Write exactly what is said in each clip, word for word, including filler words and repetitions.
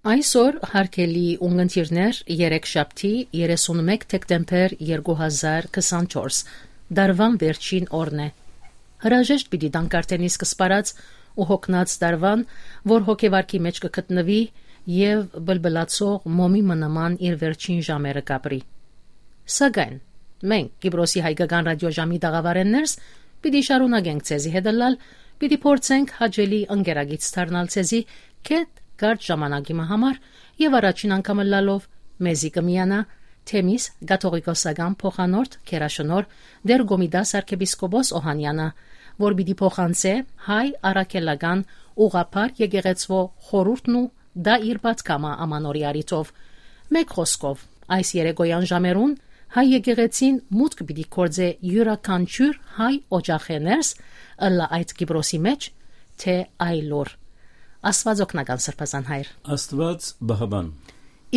Այսօր, հարգելի ունգընտիրներ, երեքշաբթի, երեսունմէկ դեկտեմբեր երկու հազար քսանչորս, դարուան վերջին օրն է։ Հրաժեշտ պիտի տանք արդէն իսկ սպառած ու հոգնած դարուան, որ հոգեվարքի մէջ կը գտնուի եւ բլբլացող մոմի մը նման իր վերջին ժամերը կապրի։ Սակայն մենք, Կիպրոսի հայկական ռադիոժամի տաղավարէն ներս, պիտի շարունակենք ձեզի հետ ըլլալ, պիտի փորձենք հաճելի ընկերագից դառնալ ձեզի գեթ կարճ ժամանակի մը համար եւ առաջին անգամ ըլլալով մեզի կը միանայ Թեմիս կաթողիկոսական փոխանորդ գերաշնորհ Տէր Կոմիտաս արքեպիսկոպոս Օհանեանը, որ պիտի փոխանցէ հայ առաքելական ուղղափառ եկեղեցւոյ խորհուրդն ու տայ իր պատգամը Ամանորի առիթով։ Մէկ խօսքով, այս երեկոյեան ժամերուն հայ եկեղեցին մուտք պիտի գործէ իւրաքանչիւր հայ օջախէ ներս, ըլլայ այդ Կիպրոսի մէջ, թէ այլուր։ Աստուած օգնական, սրբազան հայր։ Աստուած պահապան։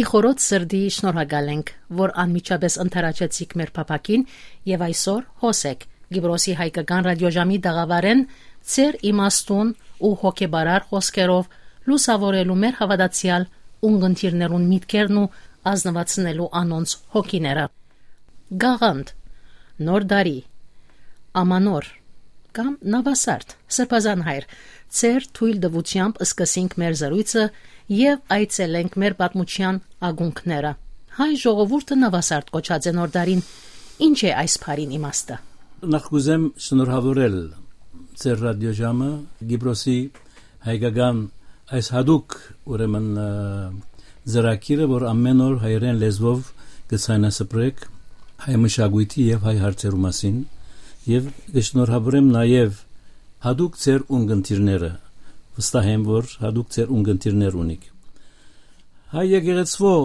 Ի խորոց սրտի շնորհակալ ենք, որ անմիջապէս ընդառաջեցիք մեր փափաքին եւ այսօր հոս էք Կիպրոսի հայկական ռադիոժամի տաղավարէն ձեր իմաստուն ու հոգեբարար խօսքերով լուսաւորելու մեր հաւատացեալ ունգընտիրներուն միտքերն ու ազնուացնելու անոնց հոգիները։ Գաղանդ, Նոր տարի, Ամանոր կամ Նավասարդ, սրբազան հայր, ձեր թոյլ տուութեամբ սկսինք մեր զրոյցը եւ այցելենք մեր պատմութեան ակունքները։ Հայ ժողովուրդը Նավասարդ կոչած է Նոր տարին։ Ի՞նչ է այս բառին իմաստը։ Նախ կ'ուզեմ շնորհաւորել ձեր ռադիոժամը, Կիպրոսի հայկական այս յատուկ, ուրեմն, ը, ծրագիրը, որ ամէն օր հայերէն լեզուով կը ցայնասպրեք հայ մշակոյթի եւ հայ հարցերու մասին, եւ կը շնորհավորեմ նաեւ յատուկ ձեր ունգընտիրները, վստահ եմ, որ յատուկ ձեր ունգընտիրներ ունիք։ Հայ եկեղեցւոյ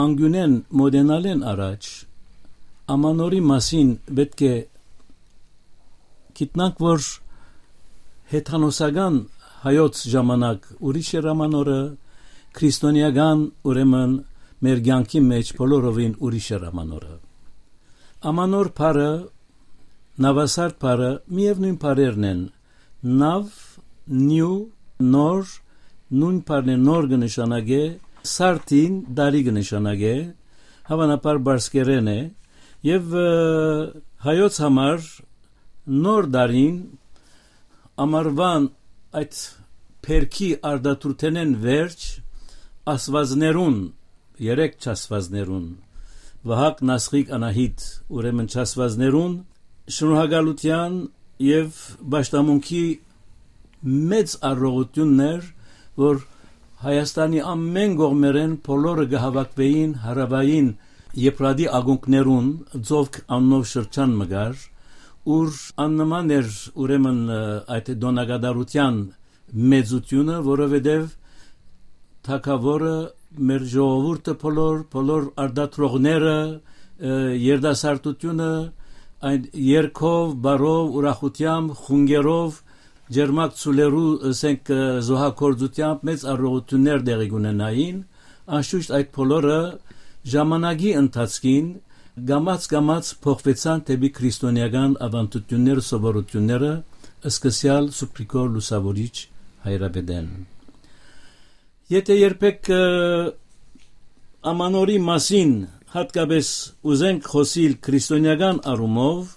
անկիւնէն մօտենալէն առաջ, Ամանորի մասին պէտք է գիտնանք, որ հեթանոսական հայոց ժամանակ ուրիշ էր Ամանորը, քրիստոնեական, ուրեմն, մեր կեանքի մէջ բոլորովին ուրիշ էր Ամանորը։ Ամանոր բառը, Նավասարդ բառը միեւնոյն բառերն են, նաւ, նիւ, նոր, նոյն բառն է, նոր կը նշանակէ, սարդին, տարի կը նշանակէ, հաւանաբար պարսկերէն է, եւ, ը, հայոց համար նոր տարին, ամառուան այդ բերքի արտադրութենէն վերջ, աստուածներուն, երեք չաստուածներուն, Վահագ, Նասղիկ, Անահիտ, ուրեմն չաստուածներուն շնորհակալութեան եւ պաշտամունքի մեծ առողջութիւնն էր, որ Հայաստանի ամէն կողմերէն բոլորը կը հաւաքուէին հարաւային Եփրատի ակունքներուն, Ծովք անունով շրջան մը կար, ուր աննման էր, ուրեմն, ը, այդ տօնակատարութեան մեծութիւնը, որովհետեւ թագաւորը, մեր ժողովուրդը բոլոր, բոլոր արտադրողները, ը, երիտասարդութիւնը, այն երգով, բառով, ուրախութեամբ, խունկերով, ջերմակ ցուլերու, ասենք, ը, զոհագործութեամբ մեծ առողջութիւններ տեղի կունենային, անշուշտ այդ բոլորը ժամանակի ընթացքին կամաց-կամաց փոխուեցան դէպի քրիստոնեական աւանդութիւնները, սովորութիւնները, սկսեալ Սուրբ Գրիգոր Լուսաւորիչ հայրապետէն։ Եթէ երբեք, ը, Ամանորի մասին յատկապէս ուզենք խօսիլ քրիստոնեական առումով,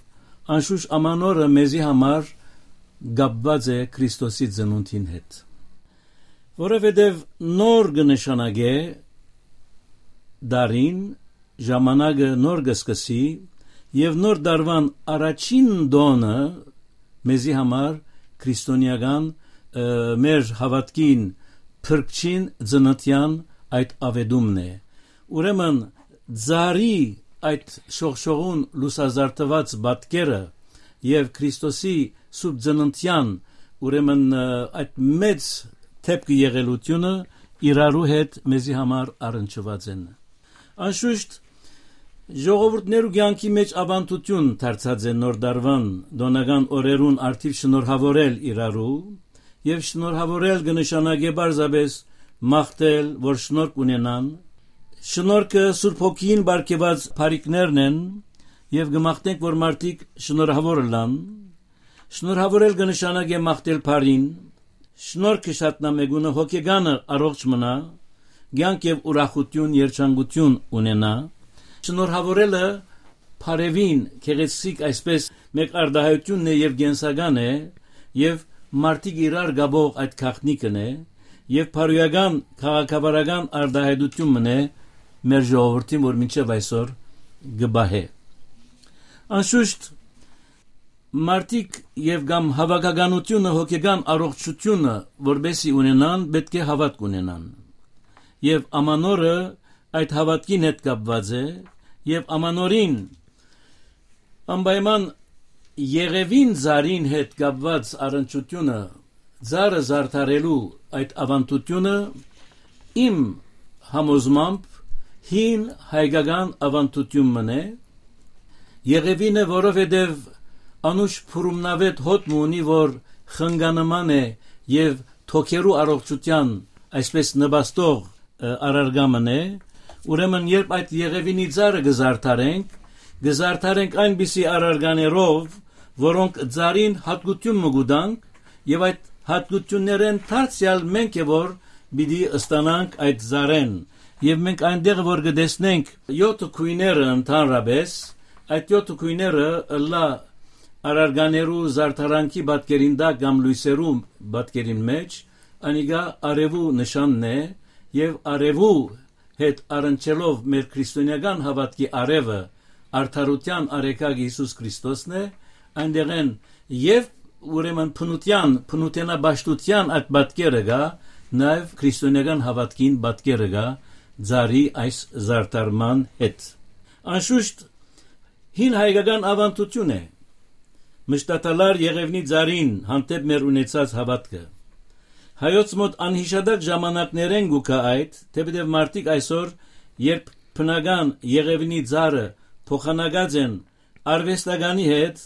անշուշտ Ամանորը մեզի համար կապուած է Քրիստոսի ծնունդին հետ, որովհետեւ նոր կը նշանակէ տարին, ժամանակը նոր կը սկսի, եւ նոր տարուան առաջին տօնը մեզի համար քրիստոնեական, ը, մեր հաւատքին փրկչին ծննդեան այդ աւետումն է։ Ուրեմն, ծառի այդ շողշողուն լուսազարդուած պատկերը եւ Քրիստոսի սուրբ ծննդեան, ուրեմն, ը, այդ մեծ դէպքը եղելութիւնը իրարու հետ մեզի համար առնչուած են։ Անշուշտ, ժողովուրդներու կեանքի մէջ աւանդութիւն դարձած է նոր տարուան տօնական օրերուն առթիւ շնորհաւորել իրարու, եւ շնորհաւորել կը նշանակէ պարզապէս մաղթել, որ շնորհք ունենան։ Շնորհքը Սուրբ Հոգին պարգեւած բարիքներն են, եւ կը մաղթենք, որ մարդիկ շնորհաւոր ըլլան։ Շնորհաւորել կը նշանակէ մաղթել բարին, Շնորհ կը շատնայ մէկունը հոգեկանը առողջ մնայ, կեանք եւ ուրախութիւն, երջանկութիւն ունենայ։ Շնորհաւորելը բարեւին գեղեցիկ այսպէս մէկ արտայայտութիւնն է եւ կենսական է, եւ մարդիկ իրար կապող այդ գաղտնիքն է, եւ բարոյական քաղաքավարական արտայայտութիւն մըն է մեր ժողովուրդին, որ մինչեւ այսօր կը պահէ։ Անշուշտ, մարդիկ եւ կամ հաւաքականութիւնը հոգեկան առողջութիւնը որպեսզի ունենան, պէտք է հաւատք ունենան։ Եւ Ամանորը այդ հաւատքին հետ կապուած է, եւ Ամանորին անպայման Եղեւին ծառին հետ կապուած առնչութիւնը, ծառը զարդարելու այդ աւանդութիւնը, իմ համոզմամբ, հին հայկական աւանդութիւն մըն է, Եղեւին է, որովհետեւ անուշ փուրումնավետ հոտ մը ունի, որ խնկանման է եւ թոքերու առողջութեան այսպէս նպաստող, ը, առարկա մըն է, ուրեմն երբ այդ Եղեւինի ծառը կը զարդարենք, կը զարդարենք այնպիսի առարկաներով, որոնք ծառին յատկութիւն մը կու տանք, եւ այդ յատկութիւններէն դարձեալ մենք է որ պիտի ստանանք այդ ծառէն, եւ մենք այնտեղ որ կը տեսնենք յոթը գոյները ընդհանրապես, այդ յոթը գոյները ըլլայ առարկաներու զարդարանքի պատկերին տակ կամ լոյսերու պատկերին մէջ, անիկա արեւու նշանն է, եւ արեւու հետ առնչելով մեր քրիստոնեական հաւատքի արեւը, արդարութեան արեգակ Յիսուս Քրիստոսն է, այնտեղէն եւ ուրեմն բնութեան, բնութենապաշտութեան այդ պատկերը կայ, նաեւ քրիստոնեական հաւատքին պատկերը կայ ծառի այս զարդարման հետ։ Անշուշտ, հին հայկական աւանդութիւն է մշտադալար Եղեւնի ծառին հանդէպ մեր ունեցած հաւատքը։ Հայոց մօտ անյիշատակ ժամանակներէն կու գայ այդ, թէպետեւ մարդիկ այսօր, երբ բնական Եղեւնի ծառը փոխանակած են արուեստականի հետ,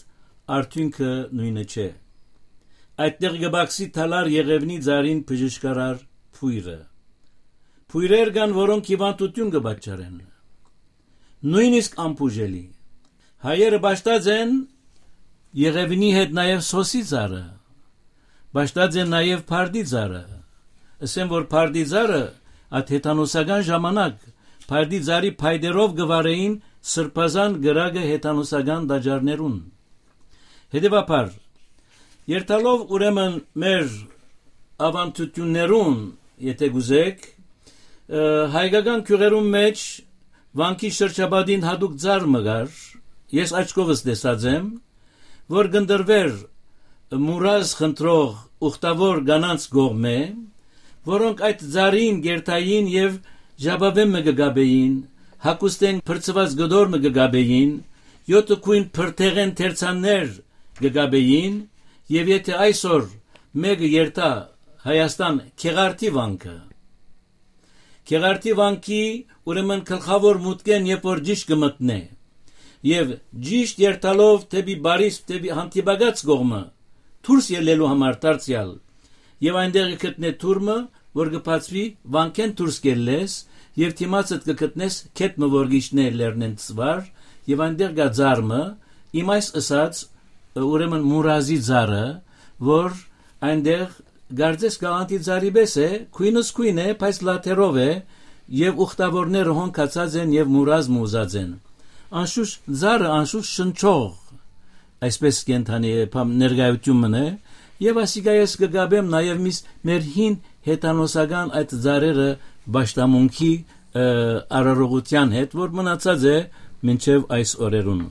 արդիւնքը նոյնը չէ։ Այդտեղ կը պակսի դալար Եղեւնի ծառին բժշկարար բոյրը։ Բոյրեր կան, որոնք հիւանդութիւն կը պատճառեն, նոյնիսկ անբուժելի։ Հայերը պաշտած են Եղեւինի հետ նաեւ սոսի ծառը, պաշտած են նաեւ բարդի ծառը։ Ըսեմ, որ բարդի ծառը այդ հեթանոսական ժամանակ բարդի ծառի փայտերով կը վարէին Սրբազան կրակը հեթանոսական տաճարներուն։ Հետեւաբար, երթալով ուրեմն մեր աւանդութիւններուն, եթե կուզեք, ը, հայկական գիւղերուն մէջ Վանքի շրջապատին յատուկ ծառ մը կար, ես աչքովս տեսած եմ, որ կ'ընտրուէր մուրազ խնդրող ուխտաւոր կանանց կողմէ, որոնք այդ ծառին կ'երթային եւ ժապաւէն մը կը կապէին, հագուստէն փրցուած կտոր մը կը կապէին, յոթը գոյն փրթեղէն թերցաններ կը կապէին, եւ եթե այսօր մէկը երթայ Հայաստան Գեղարդի վանքը, Գեղարդի վանքի, ուրեմն գլխաւոր մուտքէն երբ որ ճիշտ կը մտնէ, եւ ճիշտ երթալով դէպի բարիս, դէպի հանդիպակաց կողմը դուրս ելլելու համար դարձեալ, եւ այնտեղ կը գտնէ թուռ մը, որ կը բացուի վանքէն դուրս կ'ելլես, եւ դիմացդ կը գտնես գետ մը, որ կ'իջնէ լեռնէն ծուար, եւ այնտեղ կայ ծառ մը, իմ այս ըսած, ուրեմն մուրազի ծառը, որ այնտեղ կարծես կաղանթի ծառի պէս է, գոյնս գոյն է, բայց լաթերով է, եւ ուխտավորները հոն գացած են եւ մուրազ մը ուզած են։ Անշուշտ ծառը, անշուշտ շնչող, այսպես կենդանի է, բան, ներկայություն մըն է, եւ ասիկա ես կը կապեմ նաեւ միս մեր հին հեթանոսական այդ ծառերը պաշտամունքի, ը, արարողության հետ, որ մնացած է մինչեւ այս օրերուն։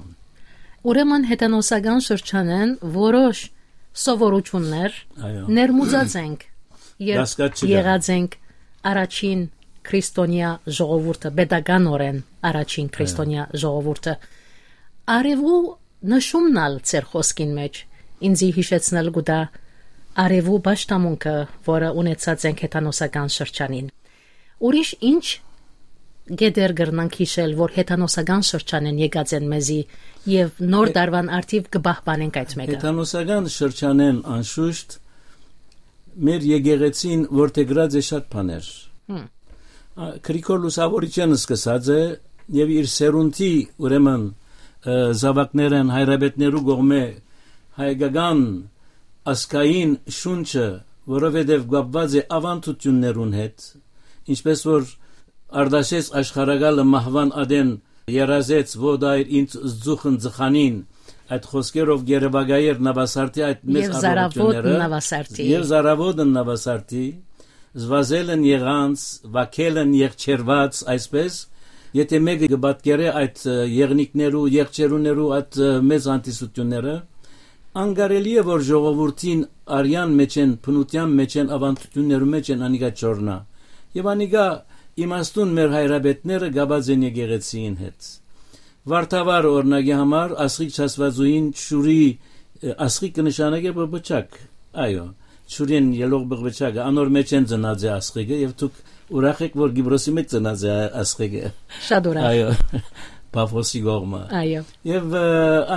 Ուրեմն հեթանոսական շրջանեն որոշ սովորություններ Այո։ ներմուծած ենք, երբ Դասկաց չկա։ եղած ենք առաջին քրիստոնեա ժողովուրդը, պետականորեն առաջին Այո։ քրիստոնեա ժողովուրդը։ Արևու նշումն ալ ձեր խոսքին մեջ ինձի յիշեցնել կու տայ արևու պաշտամունքը, որը ունեցած ենք հեթանոսական շրջանին։ Ուրիշ ինչ գետեր կրնանք յիշել, որ հեթանոսական շրջանեն եկած են մեզի եւ նոր Հե- տարուան արդիվ կը պահպանենք այդ մեկը։ Հեթանոսական շրջանեն անշուշտ մեր եկեղեցին որդեգրած է շատ բաներ։ Հմ։ Ա, Գրիգոր Լուսավորիչեն սկսած է եւ իր սերունդի, ուրեմն, ը, զաւակներն հայրապետներու կողմէ հայկական ազգային շունչը որովհետեւ կապուած է աւանդութիւններուն հետ, ինչպէս որ Արտաշէս աշխարհակալը մահուան ատեն երազեց, ո՛դ այր ինձ զուխն ձխանին, այդ խօսքերով կ'երեւակայէր Նաւասարդի այդ մեծ Եւ Զարաւոտ աւանդութիւնները, Նաւասարդի։ Եւ Զարաւոտն Նաւասարդի, զվազել են եղանց, վակել են եղջերված, այսպես, եթե մեկը կը պատկերէ այդ, ը, եղնիկներու, եղջերուներու այդ, ը, մեծ հանդիսութիւնները, անկարելի է որ ժողովուրդին արեան մէջէն, բնութեան մէջէն, աւանդութիւններու մէջէն անիկա չորնայ։ Եւ անիկա իմաստուն մեր հայրապետները կապած են եկեղեցիին հետ։ Վարդավառ օրինակի համար Աստղիկ չասվածուհին Չուրի, ը, Աստղիկ կը նշանակէ բ-, բջակ, այո, Չուրին ելող բ-, բջակը, անոր մէջէն ծնած է Աստղիկը, եւ դուք ուրախ էք որ Կիպրոսի մէջ ծնած է Ա-, Աստղիկը։ Շատ ուրախ։ Այո, Պաֆոսի կողմը։ Այո։ Եւ, ը,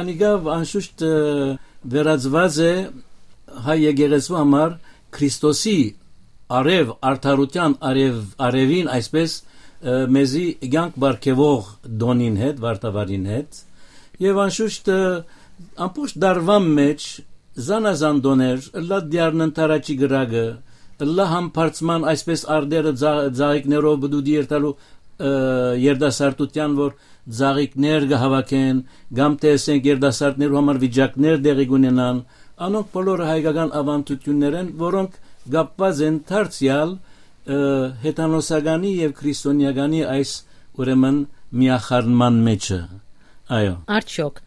անիկա անշուշտ, ը, վերածուած է հայ եկեղեցու համար Քրիստոսի արեւ, արդարութեան արեւ, արեւին, այսպես, ը, մեզի կյանք պարգեւող տօնին հետ, վարդավառին հետ։ Եւ անշուշտ, ը, ամբողջ դարուան մէջ զանազան տօներ, ըլլայ դիարնն թարաչի կրակը, ըլլայ համբարձման այսպես արտերը ձա-, ձաղիկներով պտուտի երթալու, ը, երիտասարդութեան, որ ձաղիկներ կը հաւաքեն, կամ թէ, ասենք, երիտասարդներու համար վիճակներ տեղի կունենան, անոնք բոլորը հայկական աւանդութիւններ են, որոնք կապուած են դարձեալ, ը, հեթանոսականի եւ քրիստոնեականի այս, ուրեմն, միախառնման մէջը։ Այո։ Արդյոք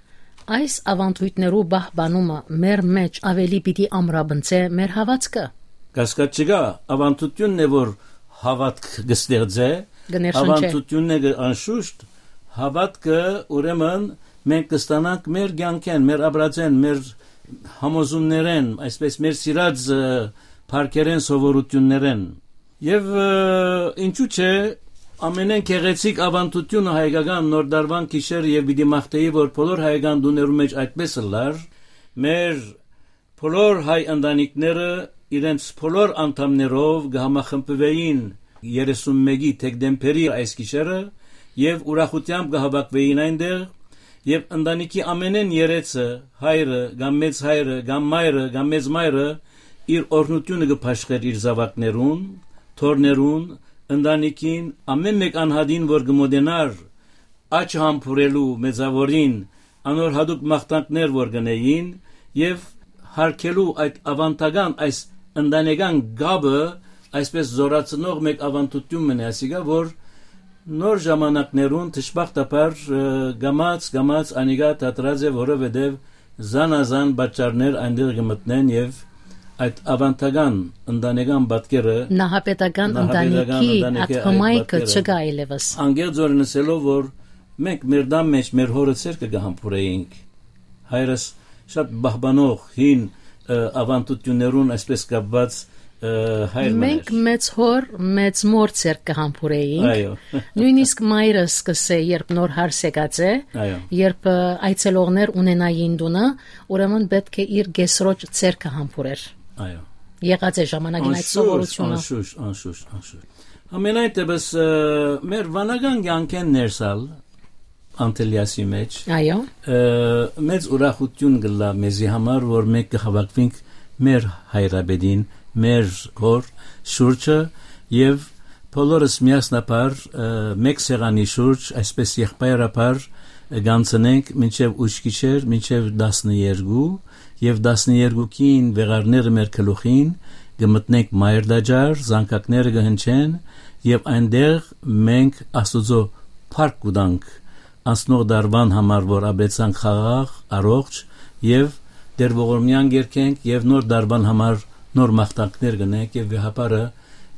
այս աւանդոյթներու պահպանումը մեր մէջ աւելի պիտի ամրապնդէ մեր հաւատքը։ Կասկած չկայ, աւանդութիւնն է, որ հաւատք կը ստեղծէ, կը ներշնչէ։ Աւանդութիւնն է, կը-, անշուշտ, հաւատքը, ուրեմն, մենք կստանանք մեր կյանքէն, մեր ապրածէն, մեր համոզումներէն, այսպես, մեր սիրած, ը, փառքերէն, սովորութիւններէն։ Եւ, ը, ինչու՞ չէ, ամենէն գեղեցիկ աւանդութիւնը հայկական Նոր Տարուան գիշերը, եւ պիտի մաղթէի, որ բոլոր հայկական տուներու մէջ այդպես ըլլար, մեր բոլոր հայ ընտանիքները իրենց բոլոր անդամներով կը համախմբուէին երեսուն մէկի դեկտեմբերի այս գիշերը եւ ուրախութեամբ կը հաւաքուէին այնտեղ, եւ ընտանիքի ամենէն երեցը, հայրը կամ մեծ հայրը կամ մայրը կամ մեծ մայրը, իր օրհնութիւնը կը բաշխէր իր զաւակներուն, թոռներուն, ընտանիքին, ամէն մէկ անհատին, որ կը մօտենար աճ համբուրելու մեծաւորին, անոր յատուկ մաղթանքներ որ կ'ընէին, եւ յարգելու այդ աւանդական, այս ընտանեկան կապը, այսպես զորացնող մէկ աւանդութիւն մնայ, ասիկա, որ նոր ժամանակներուն, դժբախտաբար, ը, կամաց, կամաց անիկա դադրած է, որովհետեւ զանազան պատճառներ այնտեղ կը մտնեն եւ այդ աւանդական ընտանեկան պատկերը, Նահապետական նահապետական ընտանիքի ընտանիքի այդ այդ հմայքը պատկերը, չկայ այլեւս։ Անկեղծ օրէն ասելով, որ մենք մեր տան մէջ մեր հօրը ցերկը կը համբուրէինք, հայրս շատ պահպանող հին, ը, աւանդութիւններուն այսպես կապուած, ը, հայր մը Մենք էր։ Մեծ հոր, մեծ մոր ցերկ կը համբուրէինք։ Այո։ Նույնիսկ մայրս կ'ըսէ, երբ նոր հարս եկած է, Այո։ երբ, ը, այցելողներ ունենային տունը, ուրեմն պէտք է իր կեսրոջ ցերկը համբուրեր։ Այո։ Եղած է ժամանակին այդ Անշուշտ, սովորությունը։ անշուշտ, անշուշտ, անշուշտ։ Համենայն դեպս, ը, մեր վանական կյանքէն ներս ալ, Անտելիասի մէջ, Այո։ ը, մեծ ուրախութիւն կ'ըլլայ մեզի համար, որ մենք կը հաւաքուինք մեր հայրապետին, մեր հոր շուրջը, եւ բոլորս միասնաբար, ը, մեկ սեղանի շուրջ, այսպես եղբայրաբար, ը, կ'անցնենք մինչեւ ուշ գիշեր, մինչեւ տասներկու, եւ տասներկուքին վեղարները մեր գլուխին, կը մտնենք մայր տաճար, զանգակները կը հնչեն, եւ այնտեղ մենք Աստուծոյ փառք կու տանք անցնող դարուան համար, որ ապրեցանք խաղաղ, առողջ, եւ Տեր Ողորմեան կերգենք, եւ նոր դարուան համար նոր մաղթանքներ կ'ընենք, եւ վեհափառը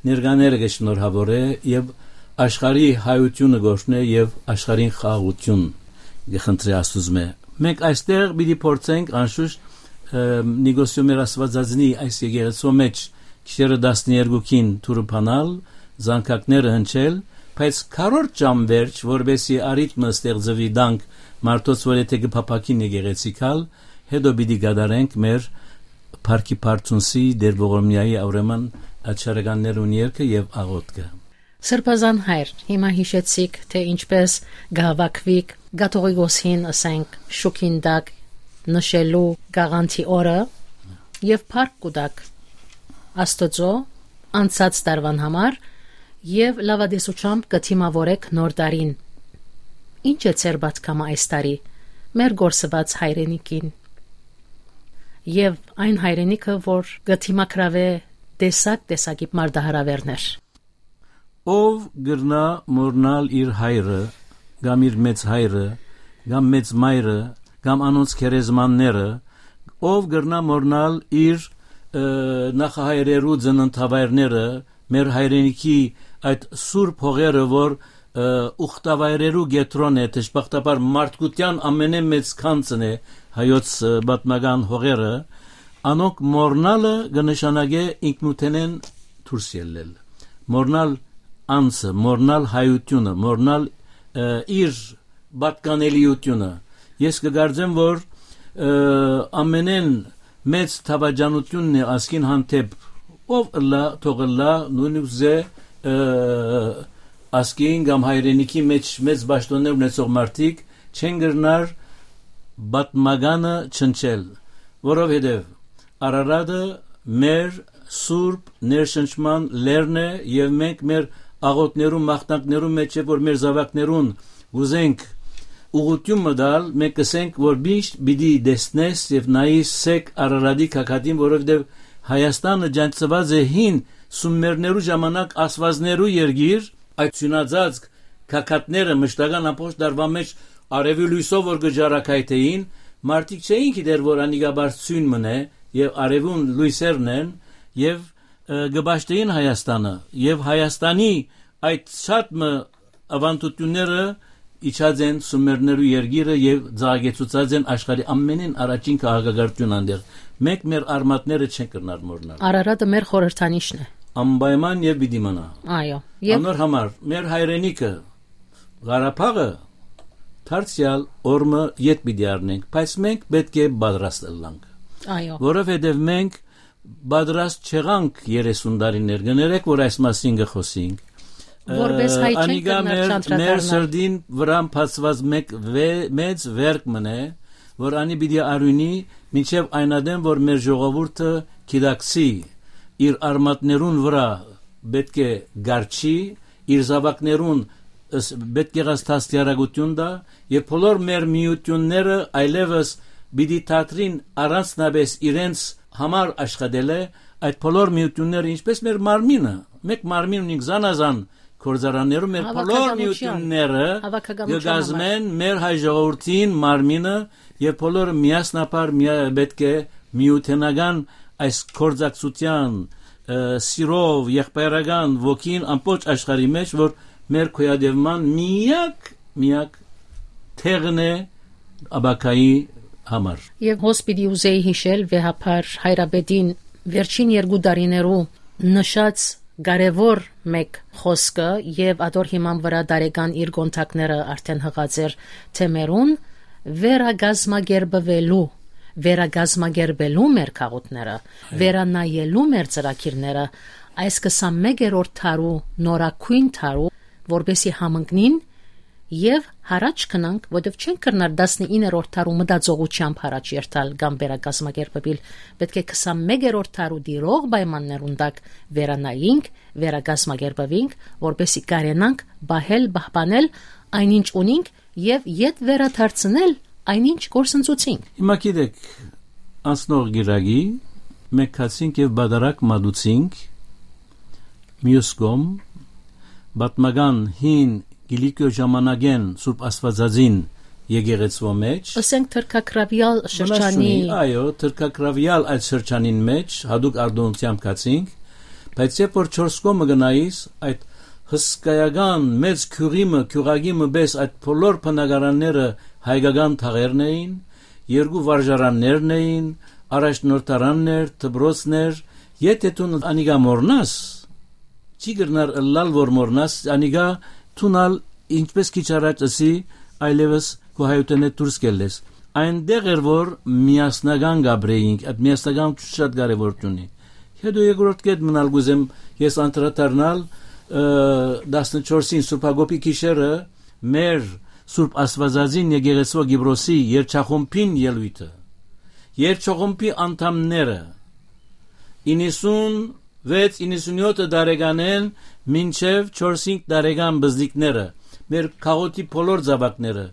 ներկաները կը շնորհաւորէ, եւ աշխարհի հայութիւնը կ'օրհնէ եւ աշխարհին խաղաղութիւն կը խնդրէ Աստուծմէ։ Մենք այստեղ պիտի փորձենք, անշուշտ, ը, Նիկոսիո մեր Աստուածածնի այս եկեղեցւոյ մէջ գիշերը տասներկուքին դուռը բանալ, զանգակները հնչել, բայց քառորդ ժամ վերջ, որպեսզի արիթմը ստեղծուի տանք մարդոց, որ եթե կը փափաքին եկեղեցի գալ, հետո պիտի կատարենք մեր Փառքի Փարթունսի, Տեր Ողորմիայի, ուրեմն, ատչարականներուն երգը եւ աղօթքը։ Սրբազան հայր, հիմա յիշեցիք, թէ ինչպես կը հաւաքուիք կաթողիկոսին, ըսենք, շուքին տակ նշելու կաղանթի օրը, եւ փառք կու տաք Աստուծոյ անցած տարուան համար եւ լաւատեսութեամբ կը դիմաւորէք նոր տարին։ Ի՞նչ է ձեր պատգամը այս տարի, մեր կորսուած հայրենիքին եւ այն հայրենիքը, որ կը դիմագրաւէ տեսակ տեսակի մարտահրաւէրներ։ Ով կրնայ մոռնալ իր հայրը, կամ իր մեծ հայրը, կամ մեծ մայրը, կամ անոնց գերեզմանները, ով կրնայ մոռնալ իր, ը, նախահայրերու ծննդավայրները, մեր հայրենիքի այդ սուրբ հողերը, որ, ը, ուխտավայրերու կեդրոն է, դժբախտաբար մարդկութեան ամենէն մեծ գանձն է հայոց, ը, պատմական հողերը, անոնք մոռնալը կը նշանակէ ինքնութենէն դուրս ելլել, մոռնալ անձը, մոռնալ հայութիւնը, մոռնալ, ը, իր պատկանելիութիւնը։ Ես կը կարծեմ, որ, ը, ամենէն մեծ դավաճանութիւնն է ազգին հանդէպ, ով ըլլայ, թող ըլլայ, նույնիսկ, ը, ազգին կամ հայրենիքի մէջ մեծ պաշտօններ ունեցող մարդիկ չեն կրնար պատմականը չնչել, որովհետեւ Արարատը մեր սուրբ ներշնչման լերն է եւ մենք մեր աղօթներու, մաղթանքներու մէջ է, որ մեր զաւակներուն կ'ուզենք ուղղութիւն մը տալ, մենք կ'ըսենք, որ միշտ պիտի տեսնես եւ նայիս սեկ Արարատի գագաթին, որովհետեւ Հայաստանը ճանչցուած է հին սումերներու ժամանակ աստուածներու երկիր, այդ սիւնածածկ գագաթները մշտական ամբողջ տարուան մէջ արեւի լոյսով որ կը ճառագայթէին, մարդիկ չէին գիտեր, որ անիկա բարձ սիւն մըն է եւ արեւուն լոյսերն են եւ, ը, կը պաշտէին Հայաստանը եւ Հայաստանի այդ շատ մը ավանդութիւնները իջած են սումերներու երկիրը եւ ծաղկեցուցած են աշխարհի ամենէն առաջին քաղաքակրթութիւն այնտեղ։ Մենք մեր արմատները չենք կրնար մոռնալ։ Արարատը մեր խորհրդանիշն է։ Անպայման եւ պիտի մնայ։ Այո, եւ անոր համար մեր հայրենիքը, Ղարաբաղը դարձեալ օրը ետ պիտի առնենք, բայց մենք պէտք է պատրաստ ըլլանք։ Այո։ Որովհետեւ մենք պատրաստ չեղանք երեսուն տարիներ, կներեք, որ այս մասին կը խօսինք։ Որպէս հայ չենք անիկա կրնար մեր, չանդրադառնալ։ Մեր սրտին վրան բացուած մեկ վե-, մեծ վերք մըն է, որ անի պիտի արիւնի մինչեւ այն ատեն, որ մեր ժողովուրդը գիտակցի իր արմատներուն վրայ պէտք է կառչի, իր զաւակներուն ս-, պէտք եղած դաստիարակութիւն տայ եւ բոլոր մեր միութիւնները այլեւս պիտի դադրին առանձնապէս իրենց համար աշխատելը, այդ բոլոր միութիւնները, ինչպէս մեր մարմինը, մեկ մարմին ունինք զանազան գործարաններում, մեր բոլոր Հավաքականության, միութիւնները հավաքականության կը կազմեն համար մեր հայ ժողովրդին մարմինը եւ բոլորը միասնաբար միա-, պէտք է միութենական այս գործակցութեան, ը, սիրով, եղբայրական ոգին ամբողջ աշխարհի մէջ, որ մեր գոյատեւման միակ, միակ տեղն է ապագայի համար։ Եւ հոս պիտի ուզեի յիշել վեհափառ հայրապետին վերջին երկու տարիներու նշած կարեւոր մեկ խօսքը եւ ատոր հիման վրայ տարեկան իր կոնթակները արդեն յղած էր թեմերուն, վերակազմակերպվելու, վերակազմակերպելու մեր քաղաքները, այո, վերանայելու մեր ծրագիրները, այս քսանմեկերորդ դարու նորագոյն դարու, որպեսի համընկնին եւ յառաջ գնանք, որտեւ չենք կրնար տասնիններորդ դարու մտածողութեամբ յառաջ երթալ կամ վերակազմակերպվել։ Պէտք է քսանմեկերորդ դարու տիրող պայմաններուն տակ վերանայինք, վերակազմակերպվինք, որպեսի կարենանք պահել, պահպանել այն, ինչ ունինք, եւ ետ վերադարձնել այն, ինչ կորսնցուցինք։ Հիմա գիտեք, անցնող գիրագի մենք գացինք եւ պատարագ մատուցինք, մյուս կողմ, պատմական հին Կիլիկիոյ ժամանակէն Սուրբ Աստվածածին եկեղեցուոյ մէջ։ Ըսենք թրքագրավեալ շրջանի։ Մնաս չունի, այո, թրքագրավեալ այդ շրջանին մէջ, հատուկ արտոնությամբ գացինք, բայց երբ որ չորս կողմը գնայիս, այդ հսկայական մեծ գիւղի մը, գիւղակի մը պէս այդ բոլոր բնակարանները հայկական թաղերն էին, երկու վարժարաններն էին, առաջնորդարաններ, դպրոցներ, եթե դուն անիկա մոռնաս, չի կրնար ըլլալ, որ մոռնաս, անիկա դուն ալ, ինչպես քիչ առաջ ըսի, այլեւս քո հայութենէ դուրս կ'ելլես։ Այնտեղ էր, որ միասնական կ'ապրեինք, այդ միասնականությունը շատ կարեւոր ունի։ Հետո երկրորդ կետ մնալ կ'ուզեմ ես անդրադառնալ, ը, տասնչորսին Սուրբ Յակոբի գիշերը մեր Սուրբ Աստվածածին եկեղեցուոյ Կիպրոսի երգչախումբին ելոյթը։ Երգչախումբի անդամները իննսուն վեց իննսունյոթ տարեկանէն մինչեւ չորսինգ տարեկան բզնիկները, մեր քաղաքին բոլոր զաւակները,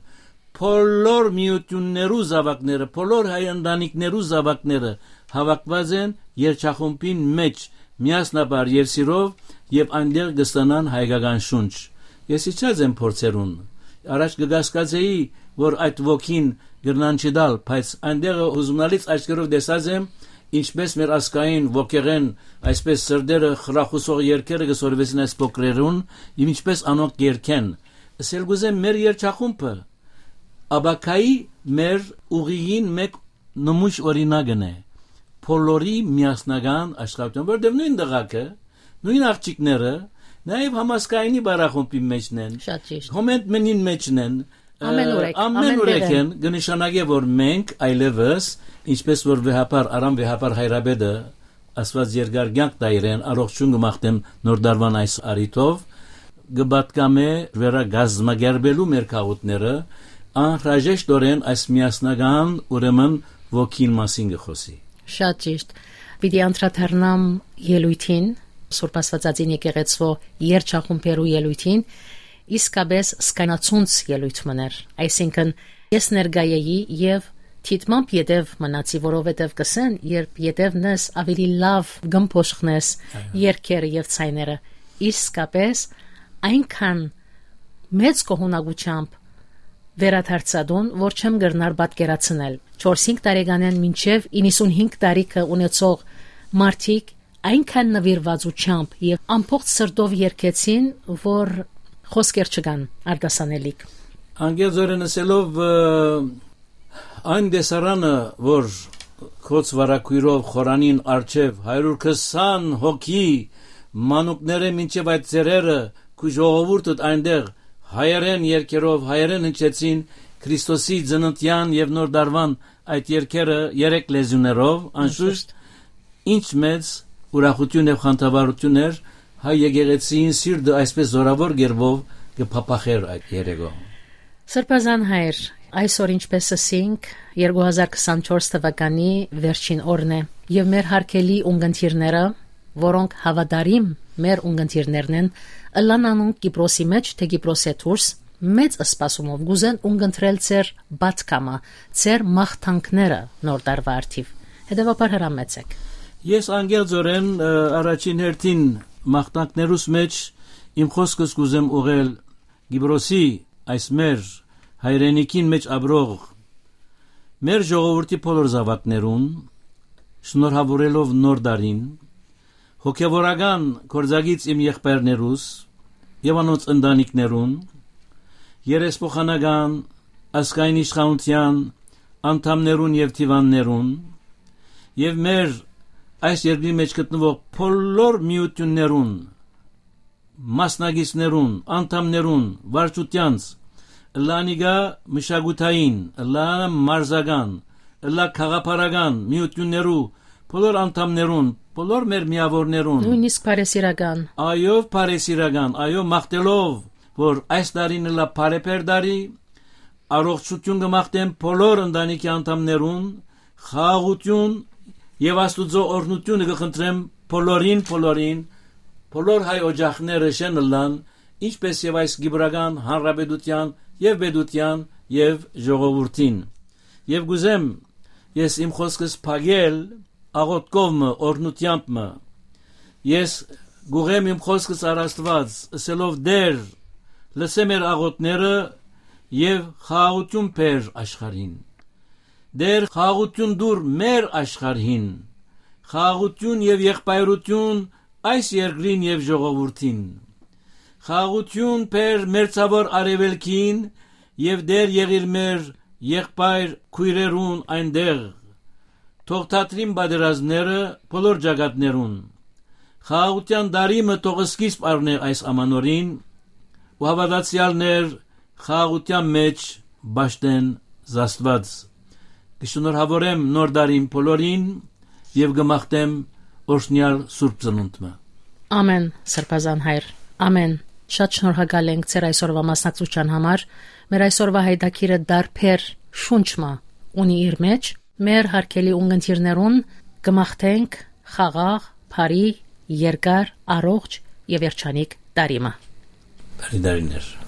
բոլոր միութիւններու զաւակները, բոլոր հայ ընտանիքներու զաւակները հաւաքուած են երջախումբին մէջ միասնաբար եւ սիրով, եւ այնտեղ կը ստանան հայկական շունչ։ Ես իջած եմ փորձերուն։ Առաջ կը կասկածէի, որ այդ ոգին կրնան չտալ, բայց այնտեղ յուզումնալից աչքերով տեսած եմ, ինչպես մեր ազգային ոգեղէն այսպես սրտերը խրախուսող երգերը կը սորվեցին այս փոքրերուն, եւ ինչպես անոնք կ'երգեն։ Ըսել կ'ուզեմ, մեր երջախումբը ապագայի մեր ուղիին մէկ նմուշ օրինակն է, բոլորի միասնական աշխատանք, որտեղ նոյն դղակը, նոյն աղջիկները, նաեւ համազգայինի բարախումբի մեջն են, Շատ ճիշտ։ Հոմենտ մենին մեջն են, Ամեն ուրեք, ամեն ամեն ուրեք տեղը։ Են, կը նշանակէ, որ մենք այլևս, ինչպես որ վեհափառ, Արամ վեհափառ հայրապետը, Աստուած երկար կյանք տայ իրեն, առողջուն կը մաղթեմ նոր տարուան այս առիթով, կը պատկամէ վերակազմակերպելու մեր քաղաքները, անհրաժեշտօրեն այս միասնական, ուրեմն, ոգին մասին կը խօսի։ Շատ ճիշտ։ Պիտի անդրադառնամ ելոյթին, Սուրբ Աստվածածին եկեղեցւոյ երջախումբերու ելոյթին, իսկապես զգայնացունց ելոյթ մըն էր, այսինքն՝ ես ներկայ էի եւ դիտմամբ ետեւ մնացի, որովհետեւ կ'ըսեն, երբ ետեւն ես, աւելի լաւ կ'ըմբոշխնես Այո։ Երգերը եւ ձայները։ Իսկապես այնքան մեծ գոհունակութեամբ վերադարձայ տուն, որ չեմ կրնար պատկերացնել։ Չորսինգ տարեկանէն մինչեւ իննսունհինգ տարիքը ունեցող մարդիկ այնքան նուիրուածութեամբ եւ ամբողջ սրտով երգեցին, որ խօսքեր չկան արտասանելիք։ Անկեղծօրէն ըսելով, ը, այն տեսարանը, որ քոց վարագոյրով խորանին առջեւ հարիւր քսան հոգի, մանուկներէ մինչեւ այդ ծերերը, քու ժողովուրդդ այնտեղ հայերէն երգերով, հայերէն հնչեցին Քրիստոսի ծննդեան եւ նոր տարուան այդ երգերը երեք լեզուներով, անշուշտ, ինչ մեծ ուրախութիւն եւ խանդավառութիւն էր, հայ եկեղեցին սիրտը այսպես զօրաւոր կերպով կը փափախէր այդ երեկոյ։ Սրբազան հայր, այսօր, ինչպես ըսինք, երկու հազար քսանչորս թվականի վերջին օրն է, եւ մեր հարգելի ունգընտիրները, որոնք հաւատարիմ մեր ունգընտիրներն են, ըլլան անոնք Կիպրոսի մէջ թէ Կիպրոսէ դուրս, մեծ սպասումով կ'ուզեն ունգընտրել ձեր պատգամը, ձեր մաղթանքները նոր տարուայ առթիւ։ Հետեւաբար հրամեցէք։ Ես անկեղծօրէն, ը, առաջին հերթին մաղթանքներուս մէջ իմ խօսքս կ'ուզեմ ուղղել Կիպրոսի, այս մեր հայրենիքին մէջ ապրող մեր ժողովուրդի բոլոր զաւակներուն, շնորհաւորելով նոր տարին, հոգեւորական գործակից իմ եղբայրներուս եւ անոնց ընտանիքներուն, երեսփոխանական, ազգային իշխանութեան անդամներուն եւ դիւաններուն, եւ մեր այս երկրի մէջ գտնուող բոլոր միութիւններուն, մասնակիցներուն, անդամներուն, վարչութեանց, ըլլա անիկա մշակութային, ըլլա մարզական, ըլլա գաղափարական միութիւններու բոլոր անդամներուն, բոլոր մեր միաւորներուն, նոյնիսկ բարեսիրական։ Այո, բարեսիրական, այո, մաղթելով, որ այս տարին ըլլա բարեբեր տարի, առողջութիւն կը մաղթեմ բոլոր ընտանիքի անդամներուն, խաղաղութիւն եւ Աստուծոյ օրհնութիւնը կը խնդրեմ բոլորին, բոլորին, բոլոր հայ օջախները շեն ըլլան, ինչպես եւ այս կիպրական հանրապետութեան եւ պետութեան եւ ժողովուրդին։ Եւ կ'ուզեմ ես իմ խօսքս փակել աղօթքով մը, օրհնութեամբ մը։ Ես կ'ուղեմ իմ խօսքս առ Աստուած, ըսելով. «Տէր, լսէ մեր աղօթքները եւ խաղաղութիւն բեր աշխարհին։ Տէր, խաղաղութիւն տուր մեր աշխարհին, խաղաղութիւն եւ եղբայրութիւն այս երկրին եւ ժողովուրդին։ Խաղաղութիւն բեր մերձաւոր արեւելքին եւ Տէր, եղիր մեր եղբայր քոյրերուն այնտեղ։ Թող դադրին պատերազմները բոլոր ճակատներուն։ Խաղաղութեան տարի մը թող սկիզբ առնէ այս ամանորին ու հաւատացեալներ խաղաղութեան մէջ պաշտեն զաստուած։ Կը շնորհաւորեմ նոր տարին բոլորին եւ կը մաղթեմ օրհնեալ Սուրբ Ծնունդ մը»։ Ամեն, Սրբազան հայր, ամեն։ Շատ շնորհակալ ենք ձեր այսօրվա մասնակցության համար։ Մեր այսօրվա հայտագիրը դարբեր շունչ մը ունի իր մեջ։ Մեր հարգելի ունգընտիրներուն կը մաղթենք խաղաղ, բարի, երկար, առողջ եւ երջանիկ տարի մը։ Բարի տարիներ։